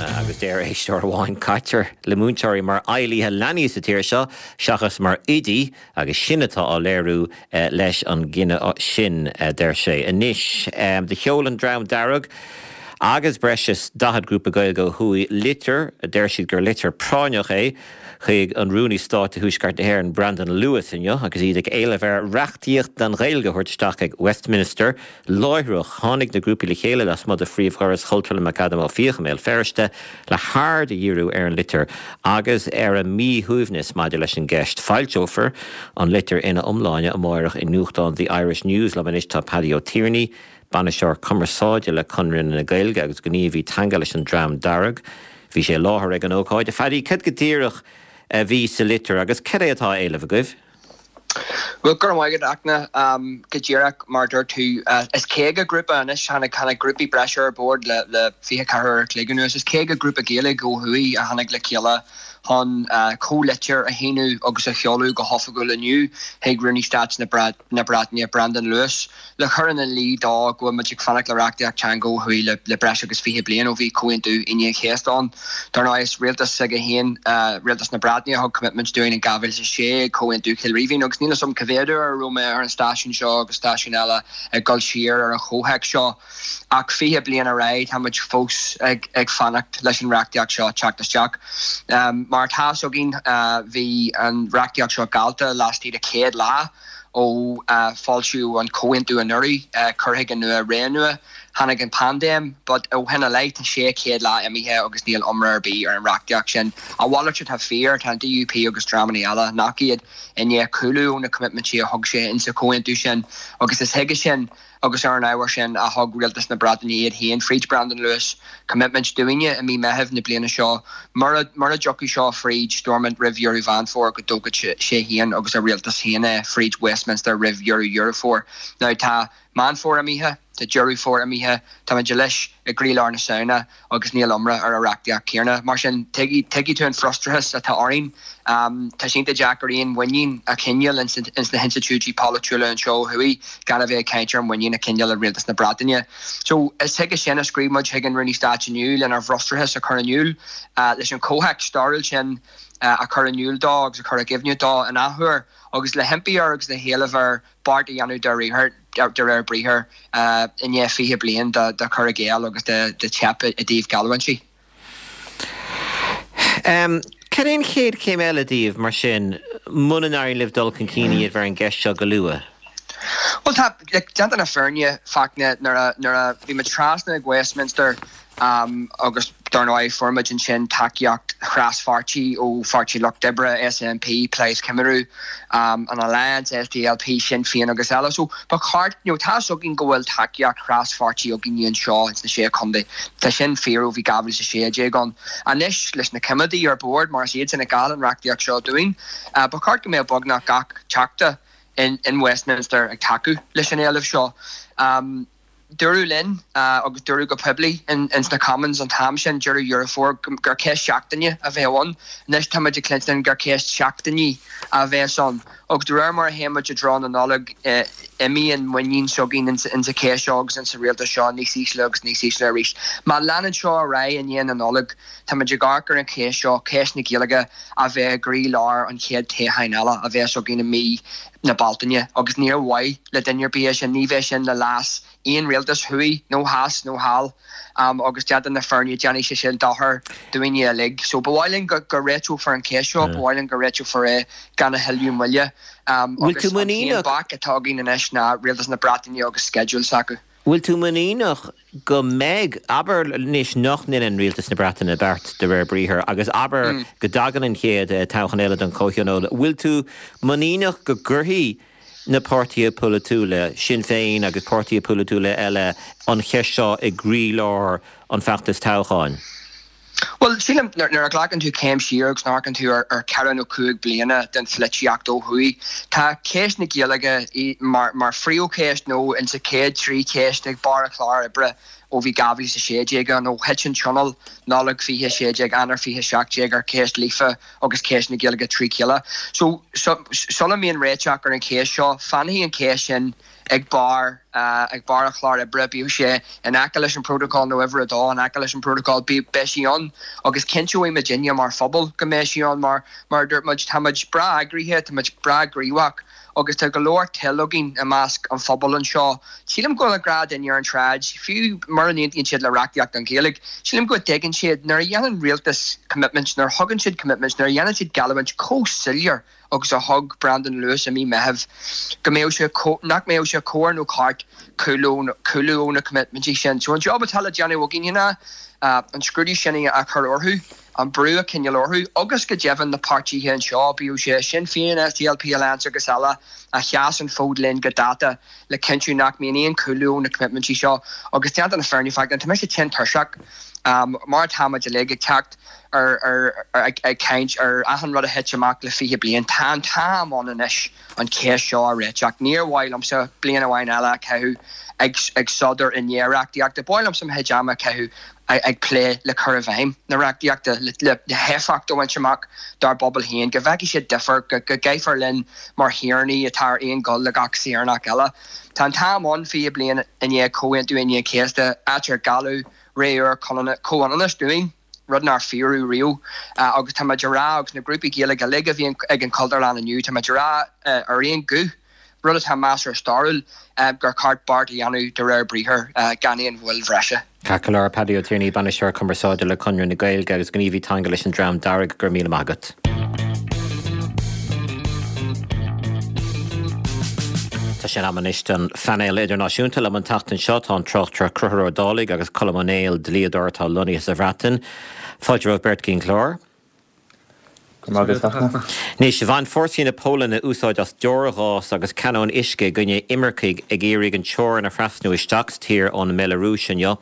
Agus deir éisteoir amháin, caitear le múinteoirí mar fheighlithe leanaí sa tír seo seachas mar oidí agus sin atá á léiriú leis an gcinneadh sin, a deir sé. Anois, do sheol an Dream Dearg agus breis is 40 grúpa Gaeilge ó thuaidh litir, a deir siad gur litir práinneach é, chuig an Rúnaí Stáit do Thuaisceart na hÉireann, Brandon Lewis inniu agus iad ag éileamh air reachtaíocht don Ghaeilge a thabhairt isteach ag Westminster láithreach. Tháinig na grúpaí le chéile lasmuigh de phríomhdhoras Chultúrlann McAdam Ó Fiaich i mBéal Feirste le haird a dhíriú ar an litir agus ar a míshuaimhneas maidir leis an gceist. Foilseofar an litir ina iomláine amáireach i nuachtán The Irish News. Liom anois tá Paddy Ó Tiarnaigh, Bainisteoir Cumarsáide le Conradh na Gaeilge agus gníomhaí teanga leis an Dream Dearg. Bhí sé i láthair ag an ócáid. A Phaddy, cad go díreach a bhí sa litir agus cad é atá á éileamh agaibh? Bhuel, go raibh maith agat, Fhachtna. Go díreach mar a dúirt tú, is 50 grúpa anois, tháinig, tháinig grúpaí breise ar bord le, le 24 uair a chloig anuas, is 50 grúpa Gaeilge ó thuaidh a tháinig le chéile chun comhlitir a shíniú agus a sheoladh go hoifigiúil inniu chuig Rúnaí Stáit na Breataine, Brandon Lewis. Le cur ina luí dó go bhfuil muid ag fanacht le reachtaíocht teanga ó thuaidh le breis agus 20 bliain ó bhí Comhaontú Aoine an Chéasta ann. Dar ndóigh, is rialtas s'aige féin, rialtas na Breataine, a thug commitment dúinn in 2006 ag Comhaontú Chill Rímhinn agus níl 'fhios a'm cá mhéad uair a raibh mé ar an stáisiún seo agus stáisiúin eile ag dul siar ar an chomhthéacs seo ach 20 bliain ar aghaidh tá muid fós ag fanacht leis an reachtaíocht seo teacht isteach. Mar atá 'fhios againn bhí an reachtaíocht seo geallta laistigh de 100 lá. Ó foilsíodh an comhaontú anuraidh, cur chuige nua, ré nua, tháinig an paindéim, but ó shin i leith tá 600 lá imithe agus níl iomrá ar bith ar an reachtaíocht sin. A mhalairt atá fíor, tá an DUP agus dreamanna eile nach iad i ndiaidh cúlú ó na coimitmintí a thug sé insa chomhaontú sin agus is chuige sin Agus ar an ábhar sin a thug Rialtas na Breataine iad féin fríd Brandon Lewis coimitmint dúinne i mí Meithimh na bliana seo, mura mura dtiocfadh seo fríd Stormont roimh dheireadh Mheán Fómhair go dtógfadh sé féin agus a rialtas féin é fríd Westminster roimh dheireadh Dheireadh Fómhair. Now tá Meán Fómhair imithe, tá Deireadh Fómhair imithe, táimid anois i gcroílár na Samhna agus níl iomrá ar an reachtaíocht céanna. Mar sin, tuigfidh tú an frustrachas atá orainn. Tá sé iontach deacair aon mhuinín a choinneáil ins na hinstitiúidí polaitiúla anseo ó thuaidh gan a bheith ag caint ar mhuinín a choinneáil i rialtas na Breataine. So, is chuige sin a scríobh muid chuig an Rúnaí Stáit inniu, lenár bhfrustrachas a chur in iúl, leis an chomhthéacs stairiúil sin a chur in iúl dó agus a chur i gcuimhne dó in athuair, agus le himpí air agus le héileamh air beart a dhéanamh de réir briathair i ndiaidh 20 bliain de chur i gcéill agus de theip i dtaobh geallúintí. Cad é an chéad chéim eile daoibh, mar sin, muna n-éiríonn libh dul chun cinn a dhéanamh ar an gceist seo go luath? Bhuel, tá, déanta na fírinne, Fachtna, nuair a bhí muid trasna ag Westminster, Agus dar ndóigh fuair muid ansin tacaíocht thras-pháirtí ó Pháirtí Lucht Oibre, SNP, Plaid Cymru, an Alliance, SDLP, Sinn Féin agus eile. So ba cheart, you know, tá 'fhios againn go bhfuil tacaíocht thras-pháirtí againn anseo ins na Sé Chontae. Tá sin fíor ó bhí 2016 ann. Anois leis na coimeádaigh ar bord, mar is iadsan a gheall an reachtaíocht seo dúinn, ba cheart go mbeadh beagnach gach teachta in Westminster ag tacú leis an éileamh seo. Dúradh linn, agus dúradh go poiblí ins na Commons an t-am sin, deireadh Dheireadh Fómhair, gur ceist seachtaine a bheadh ann. Anois tá muid ag cluinstin gur ceist seachtainí a bheas ann. Agus de réir mar a théann muid i dtreo na Nollag, imíonn muinín s'againn ins an cheist seo agus ins an rialtas seo níos ísle agus níos ísle arís. Má leanann seo ar aghaidh i ndiaidh na Nollag, tá muid ag amharc ar an cheist seo, ceist na Gaeilge, a bheith i gcroí-lár an chéad toghcháin eile a bheas againn i mí na Bealtaine agus níor mhaith le duine ar bith é sin, ní bheidh sin le leas aon rialtas thuaidh nó theas nó thall agus déanta na fírinne déanfaidh sé sin dochar dúinne uilig. So ba mhaith linn go réiteofar an cheist seo, ba mhaith linn go réiteofar é gan a thuilleadh moille agus an t-aon bhac atá againn anois ná rialtas na Breataine agus sceideal s'acu. Bhfuil tú muiníneach go mbeidh, abair anois nach ndeineann Rialtas na Breataine beart de réir briathair agus abair go dtagann an chéad toghchán eile don Chomhthionól, bhfuil tú muiníneach go gcuirfidh. na páirtithe polaitiúla, Sinn Féin agus páirtithe polaitiúla eile, an cheist seo i gcroílár an feachtais toghcháin? Bhuel, sílim, nuair a ghlacann tú céim siar agus amharcann tú ar cheithre nó chúig bliana den pholaitíocht ó thuaidh, tá ceist na Gaeilge mar phríomhcheist nó insa chéad trí cheist ag barr an chláir oibre ó bhí 2016 ann, ó thit an Tionól, Nollaig 2016, Eanáir 2017 ar cheist Líofa agus ceist na Gaeilge trí chéile. So, sula mbíonn réiteach ar an cheist seo, fanfaidh an cheist sin ag barr ag barr an chláir oibre, bíodh sé in aice leis an bprótacal nó uimhir a dó in aice leis an bprótacal, beidh sí ann agus cinnteoidh muidinne mar phobal go mbeidh sí ann mar, mar a dúirt muid, tá muid breá eagraithe, tá muid breá gníomhach agus tá go leor toil againn i measc an phobail anseo. Sílim go bhfuil an gnáthdhuine ar an tsráid, fiú mura n-aontaíonn siad le reachtaíocht don Ghaeilge, sílim go dtuigeann siad nuair a dhéanann rialtas commitments, nuair a thugann siad commitments, nuair a dhéanann siad geallúint chomh soiléir agus a thug Brandon Lewis i mí Meithimh go mbeadh sé, nach mbeadh sé cóir nó ceart cúlú ó na coimitmintí sin. So an job atá le déanamh againne ná an scrúdú sin a chur orthu, an brú a choinneáil orthu agus go deimhin na páirtithe anseo, bíodh sé Sinn Féin, SDLP, Alliance agus eile, a sheas an fód linn go dáta le cinntiú nach mbíonn aon chúlú ó na coimitmintí seo. Agus déanta na fírinne, Fachtna, tá mise tinn tuirseach, mar atá muid uilig, ag teacht ar ag caint ar achan rud a thit amach le 20 bliain. Tá an t-am ann anois an cheist seo a réiteach. Níor mhaith liomsa bliain amháin eile a chaitheamh ag ag sodar i ndiaidh reachtaíochta. Ba mhaith liomsa mo chuid ama a chaitheamh ag plé le cur i bhfeidhm na reachtaíochta, le héifeacht a bhaint amach dár bpobal féin, go bhfeicfidh siad difear, go gcaithfear linn mar shaoránaigh atá ar aon ghuth le gach saoránach eile. Tá an t-am ann, 20 bliain i ndiaidh Chomhaontú Aoine an Chéasta, áit ar gealladh ré úr comhionannais dúinn, rud nár fíoradh riamh. Agus tá muid a rá, agus na grúpaí Gaeilge uilig a bhí ag an Chultúrlann inniu, tá muid a rá ar aon ghuth, rud atá measartha stairiúil, gur cheart beart a dhéanamh de réir briathair, gan aon mhoill bhreise. Ceart go leor, Paddy Ó Tiarnaigh, Bainisteoir Cumarsáide le Conradh na Gaeilge agus gníomhaí teanga leis an Dream Dearg, go raibh míle maith agat. Tá sé in am anois don phainéal idirnáisiúnta. Liom an tseachtain seo tá an tráchtaire Conchúr Ó Dálaigh agus Colm Ó Néill, dlíodóir atá lonnaithe sa Bhreatain. Fáilte romhaibh beirt go dtí an clár. Go raibh maith agat, a Fhachtna. Anois, bhain fórsaí na Polainne úsáid as deorghás agus canóin uisce i gcoinne imircigh ag iarraidh an teorainn a thrasnú isteach sa tír ón mBealarúis inniu.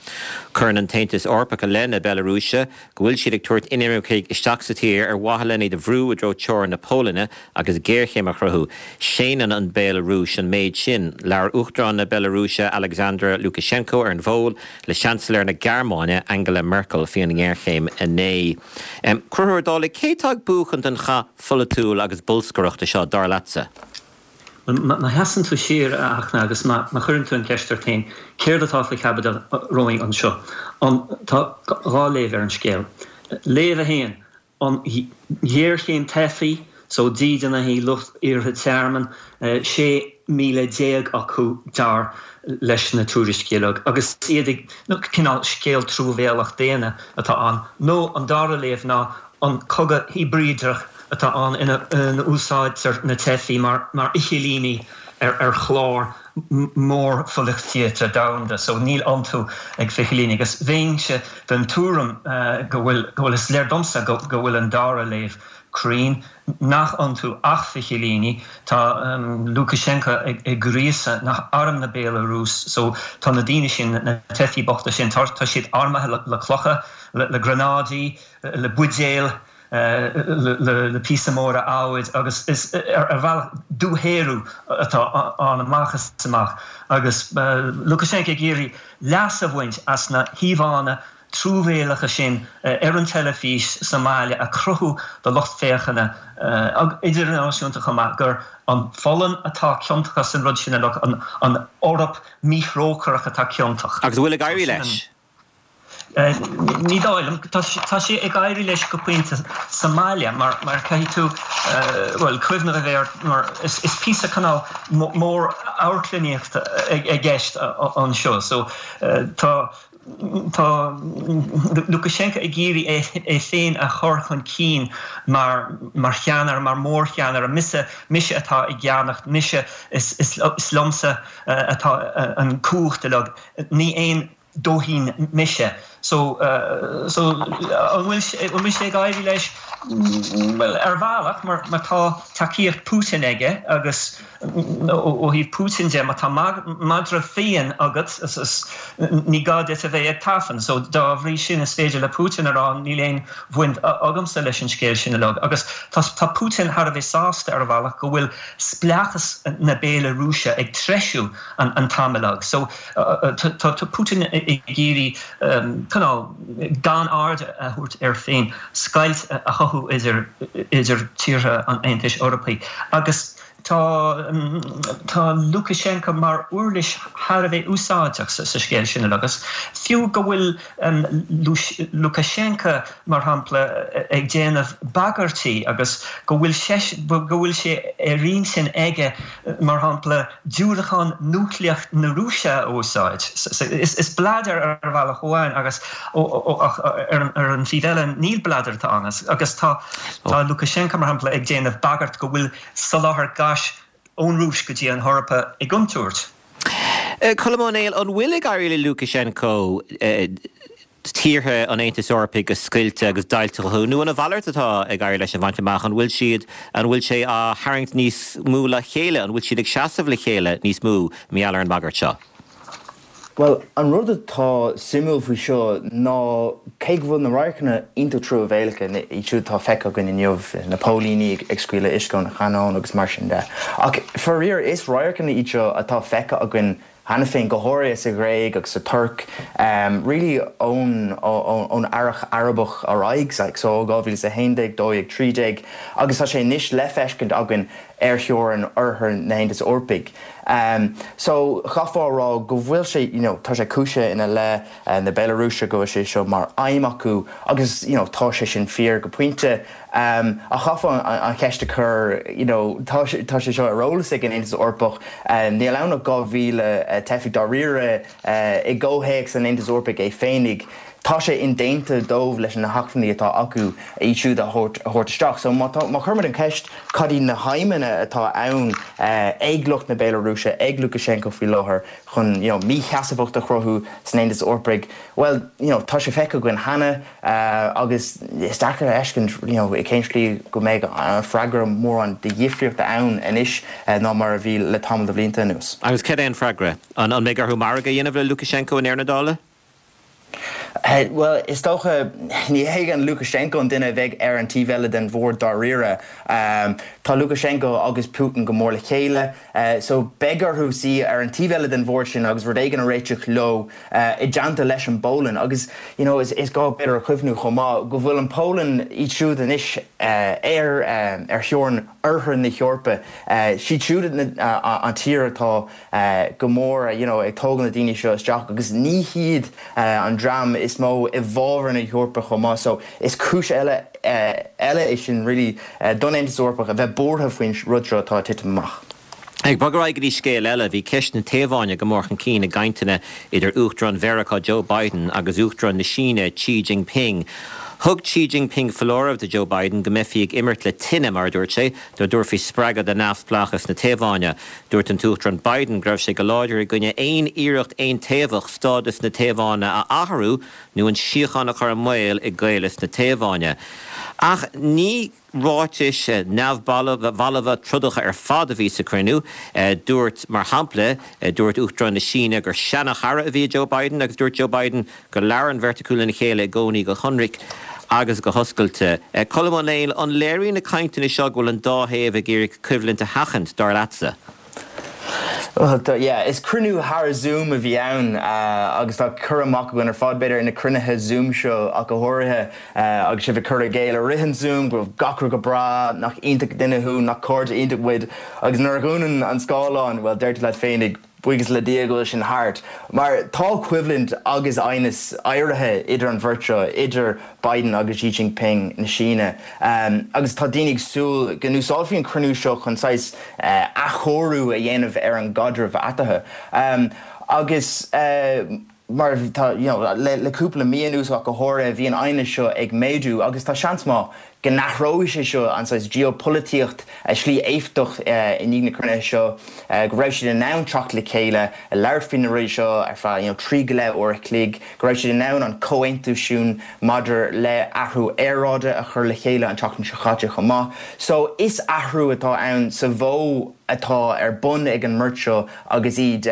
Cuireann an tAontas Eorpach i leith na Bealarúise go bhfuil siad ag tabhairt inimircigh isteach sa tír ar mhaithe len iad a bhrú i dtreo teorainn na Polainne agus géarchéim a chruthú. Séanann an Bhéalarúis an méid sin. Labhair Uachtarán na Bealarúise Alexander Lukashenko ar an bhfón le Seansailéir na Gearmáine Angela Merkel faoi an ngéarchéim inné. Conchúr Ó Dálaigh, cé atá ag buachan den chath pholaitiúil agus bolscaireachta seo, dar leatsa? Má sheasann tú siar, a Fhachtna, agus má chuireann tú an cheist ort féin, céard atá faoi chaibidil romhainn anseo? An, tá dhá léamh ar an scéal. Léamh a haon, an ghéarchéim teifigh, so dídeanaithe, lucht iarrtha tearmainn, 16,000 acu dar leis na tuairiscí uilig, agus iad ag, cineál scéal truamhéalach daonna atá ann. Nó an dara léamh ná an cogadh hibrídeach atá ann ina n-úsáidtear na teifigh mar fhichillíní ar chlár mór pholaitíochta domhanda so níl iontu ach fichillíní agus bheinnse den tuairim go bhfuil, go bhfuil, is léir domsa go bhfuil an dara léamh cruinn, nach iontu ach fichillíní. Tá Lukashenko ag gríosadh arm na Béalarúis so tá na daoine sin, na teifigh bochta sin, tá siad armtha le clocha, le gránáidí, le buidéil, le píosa móra adhmaid agus is ar bhealach dúshaothrú atá ann amach is amach agus Lukashenko ag iarraidh leas a bhaint as na híomhánna truamhéalacha sin ar an teilifís sa mbaile a chruthú do lucht féachana idirnáisiúnta chomh maith gur an Pholainn atá ciontach as an rud sin uilig, an Eoraip míthrócaireach atá ciontach. Agus an bhfuil ag éirí leis? Ní dóigh liom. Tá sé ag éirí leis go pointe sa mbaile mar caithfidh tú, bhuel, cuimhneamh a bheith ort mar is píosa cineál mór amharclannaíochta i gceist anseo. So tá tá Lukashenko ag iarraidh é féin a chur chun cinn mar mar cheannaire, mar mhórcheannaire. Mise, mise atá i gceannas, mise, is liomsa atá an cumhacht uilig. Ní aon dóithín mise. So, so, an bhfuil sé, an bhfuil sé ag éirí leis? Bhuel, ar bhealach, mar, mar tá tacaíocht Putin aige agus ó thaobh Putin de, má tá madra fiáin agat, ní gá duit a bheith ag tafann. So, dá bhrí sin, is féidir le Putin a rá, níl aon bhaint agamsa leis an scéal sin uilig. Agus tá, tá Putin thar a bheith sásta ar bhealach go bhfuil spleáchas na Béalarúise ag treisiú an, an t-am uilig. So, Tá Putin ag iarraidh cineál gan aird a thabhairt air féin, scoilt a chothú idir tíortha an Aontais Eorpaigh agus tá tá Lukashenko mar uirlis thar a bheith úsáideach sa scéal sin agus fiú go bhfuil Lukashenko mar shampla ag déanamh bagairtí agus go bhfuil go bhfuil sé ar intinn aige mar shampla diúracán núicléach na Rúise a úsáid. Is bladar ar bhealach amháin agus ar an taobh eile níl bladar atá ann agus tá Lukashenko mar shampla ag déanamh bagairt go bhfuil soláthar gáis ón Rúis go dtí an hEorpa i gcontúirt. Colm Ó Néill, an bhfuil ag éirí le Lukashenko tíortha an Aontais Eorpaigh a scoilteadh agus deighilt a chothú, nó an a mhalairt atá ag éirí leis a bhaint amach? An bhfuil siad, an bhfuil sé á tharraingt níos mó le chéile? An bhfuil siad ag seasamh le chéile níos mó mar gheall ar an mbagairt seo? Bhuel, an rud atá suimiúil faoi seo ná cé go bhfuil na radharcanna iontach truamhéalacha, iad siúd atá feicthe againn inniu, na póilíní ag scaoileadh uisce óna chanóin agus mar sin de, ach faraor is radharcanna iad seo atá feicthe againn cheana féin, go háirithe sa Ghréig agus sa Tuirc, really ón ón Earrach Arabach ar aghaidh, so ó 2011, 12, 13, agus tá sé anois le feiscint againn ar theorainn oirthear na hAontais Eorpaigh. So chaithfeá a rá go bhfuil sé, you know, tá sé cúisithe ina leith na Béalarúise go bhfuil sé seo mar aidhm acu agus, you know, tá sé sin fíor go pointe. Ach chaithfeá an cheist a chur, you know, tá tá sé seo ar eolas ag an Aontas Eorpach, níl ann ach 2,000 teifigh dáiríre i gcomhthéacs an Aontais Eorpaigh é féinig. Tá sé indéanta dóibh leis na hacmhainní atá acu iad siúd a thabhairt isteach. So má tá, má chuirimid an cheist cad iad na haidhmeanna atá ann ag lucht na Béalarúise, ag Lukashenko faoi láthair chun, you know, mísheasmhacht a chruthú san Aontas Eorpaigh, bhuel, you know, tá sé feicthe againn cheana. Agus is deacair a fheiscint you know i cén slí go mbeidh an freagra mórán de dhifríocht ann anois ná mar a bhí le tamall de bhlianta anuas. Agus céard é an freagra? An mbeidh orthu margadh a dhéanamh le Lukashenko i ndeireadh na dála? Bhuel, is dócha, ní hé an Lukashenko an duine a bheidh ar an taobh eile den bhord dáiríre. Tá Lukashenko agus Putin go mór le chéile, so beidh orthu suí ar an taobh eile den bhord sin agus rud éigin a réiteach leo. i dteannta leis an bPolainn agus you know is gá b'fhéidir a chuimhniú chomh maith go bhfuil an Pholainn, iad siúd anois ar ar theorainn oirthear na hEorpa, siad siúd an tír atá go mór you know ag tógáil na daoine seo isteach agus ní hiad an dream is mó i bhfabhar na hEorpa chomh maith so is cúis eile eile é sin really don Aontas Eorpach a bheith buartha faoin rud seo atá ag titim amach. Ag bogadh ar aghaidh go dtí scéal eile, bhí ceist na Téaváine go mór chun cinn i gcainteanna idir Uachtarán Mheiriceá Joe Biden agus Uachtarán na Síne Xi Jinping. Thug Xi Jinping foláireamh do Joe Biden go mbeifí ag imirt le tine, mar a dúirt sé, dá dtabharfaí spreagadh do neamhspleáchas na Téaváine. Dúirt an tUachtarán Biden go raibh sé go láidir i gcoinne aon iarracht aontaobhach stádas na Téaváine a athrú nó an síocháin a chur i mbaol i gCaolas na Téaváine. Ach ní. Ráitis neamhbhalbha trodacha ar fad a bhí sa chruinniú. Dúirt, mar shampla, dúirt Uachtarán na Síne gur seana-chara a bhí i Joe Biden agus dúirt Joe Biden go labhair an bheirt acu lena chéile i gcónaí go hionraic agus go hoscailte. Colm Ó Néill, an léiríonn na cainteanna seo go bhfuil an dá thaobh ag iarraidh coimhlint a sheachaint, dar leatsa? Bhuel, yeah, is cruinniú thar Zoom a bhí ann agus tá cur amach againn ar fad, b'fhéidir, ar na cruinnithe Zoom seo ach go háirithe agus sibh ag cur i gcéill i rith an Zoom go raibh gach rud go breá, nach iontach duine thú, nach cairde iontach muid agus nuair a dhúnann an scáileán, bhuel, deir tú leat féinig, buíochas le Dia go bhfuil sin thart. Mar tá coimhlint agus aighneas éirithe idir an bheirt seo, idir Biden agus Xi Jinping na Síne agus tá daoine ag súil go n-úsáidfí an cruinniú seo chun saghas athchóiriú a dhéanamh ar an gcaidreamh eatarthu. Agus mar tá, you know, le cúpla mí anuas ach go háirithe, bhí an aighneas seo ag méadú agus tá seans maith. go n-athróidh sé seo an saghas geopolaitíocht, slí éifeachtach i ndiaidh na cruinnithe seo, go raibh siad in ann teacht le chéile, labhairt faoi na rudaí seo ar feadh you know 3 go leith uair a chloig, go raibh siad in ann an comhaontú sin maidir le athrú aeráide a chur le chéile an tseachtain seo chaite chomh maith. So is athrú atá ann sa mhodh atá ar bun ag an mbeirt seo agus iad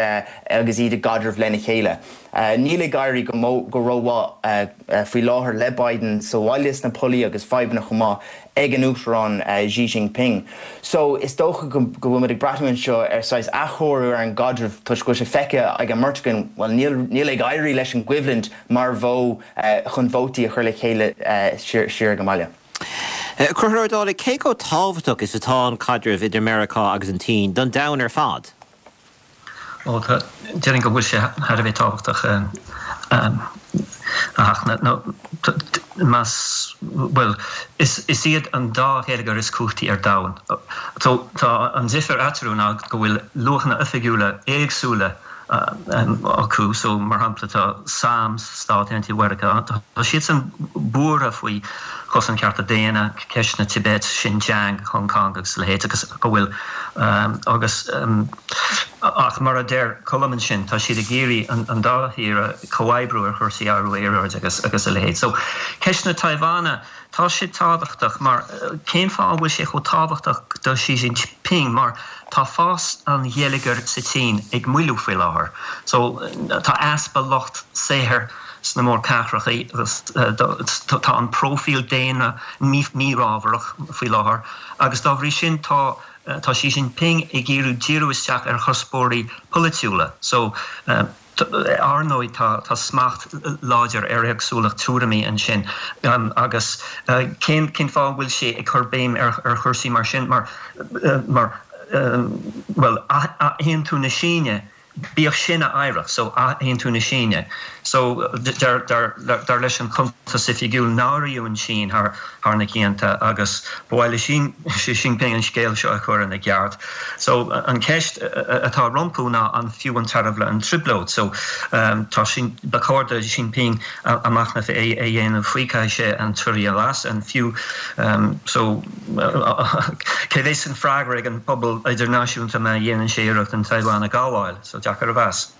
agus iad i gcaidreamh lena chéile. Níl ag éirí go go rómhaith faoi láthair le Biden sa bhaile sna pollaí agus fadhbanna chomh maith ag an Uachtarán Xi Jinping. So is dócha go bhfuil muid ag breathnú anseo ar saghas athchóiriú ar an gcaidreamh toisc go bhfuil sé feicthe ag an mbeirt againn, bhuel níl níl ag éirí leis an gcoimhlint mar mhodh chun vótaí a chur le chéile siar ag an mbaile. Conchúr Ó Dálaigh, cé chomh tábhachtach is atá an caidreamh idir Meiriceá agus an tSín don domhan ar fad? Ó tá, déarfainn go bhfuil sé thar a bheith tábhachtach a Fhachtna, nó más, bhuel, is iad an dá gheilleagar is cumhachtaí ar domhan. So tá an difear eatarthu ná go bhfuil luachanna oifigiúla éagsúla acu. So mar shampla tá sam, Stáit Aontaithe Mheiriceá, tá siadsan buartha faoi chosaint cearta daonna, ceist na Tibet, Xinjiang, Hong Kong agus a leithéid agus go bhfuil agus ach mar a deir Colm ansin tá siad ag iarraidh an dá thír a comhoibriú ar chúrsaí athrú aeráide agus agus a leithéid. So ceist na Táiváine tá sé tábhachtach mar cén fáth a bhfuil sé chomh tábhachtach do Xi Jinping mar tá fás an gheilleagair sa tSín ag moilliú faoi láthair. So tá easpa lucht saothair sna mórchathracha agus tá an próifíl daonra mífhábharach faoi láthair agus dá bhrí sin tá tá Xi Jinping ag iarraidh díriú isteach ar chuspóirí polaitiúla. So ar ndóigh tá tá smacht láidir ar éagsúlacht tuairimí ansin agus cén cén fáth a bhfuil sé ag cur béim ar ar chúrsaí mar sin mar mar bhuel athaontú na Síne Bíodh sin a oidhreacht, so athaontú na Síne. So, dar leis an chuntas oifigiúil, náiríodh an tSín thar na cianta agus ba mhaith le Xi Jinping an scéal seo a chur ina cheart. So, an cheist atá rompu ná an fiú an tairbhe an trioblóid? So, tá sin, ba chóir do Xi Jinping a machnamh a dhéanamh faoi, caithfidh sé an tuire a lasadh, an fiú, so. Cé bheas an freagra ag an bpobal idirnáisiúnta má dhéanann sé iarracht an Taiwan a ghabháil? So deacair a mheas.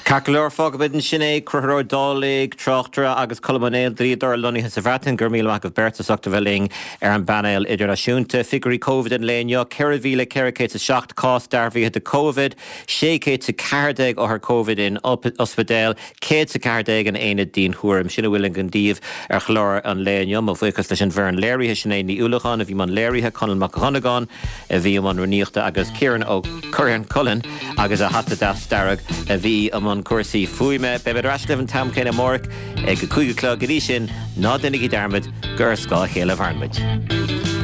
Ceart go leor, fágfaimid ansin é. Conchúr Ó Dálaigh, tráchtaire, agus Colm Ó Néill, dlíodóir lonnaithe sa Bhreatain. Go raibh míle maith agaibh beirt as ucht a bheith linn ar an bpainéal idirnáisiúnta. Figiúirí Covid an lae inniu, 4,407 cás dearbhaithe de Covid, 614 othar Covid in ospidéil, 114 in aonad dianchúraim. Sin a bhfuil againn daoibh ar chlár an lae inniu. Mo bhuíochas leis an bhfoireann léirithe, Sinéad Ní Uallacháin a bhí i mbun léirithe, Conall Mac Dhonnagáin a bhí i mbun rúnaíochta agus Ciarán Ó Curráin, Cullen agus a hata deas dearg a bhí i mbun cúrsaí fuaime. Beimid ar ais libh an t-am céanna amárach ag a 5 a chlog. Go dtí sin, ná déanaigí dearmad gur ar scáth a chéile a mhaireann muid.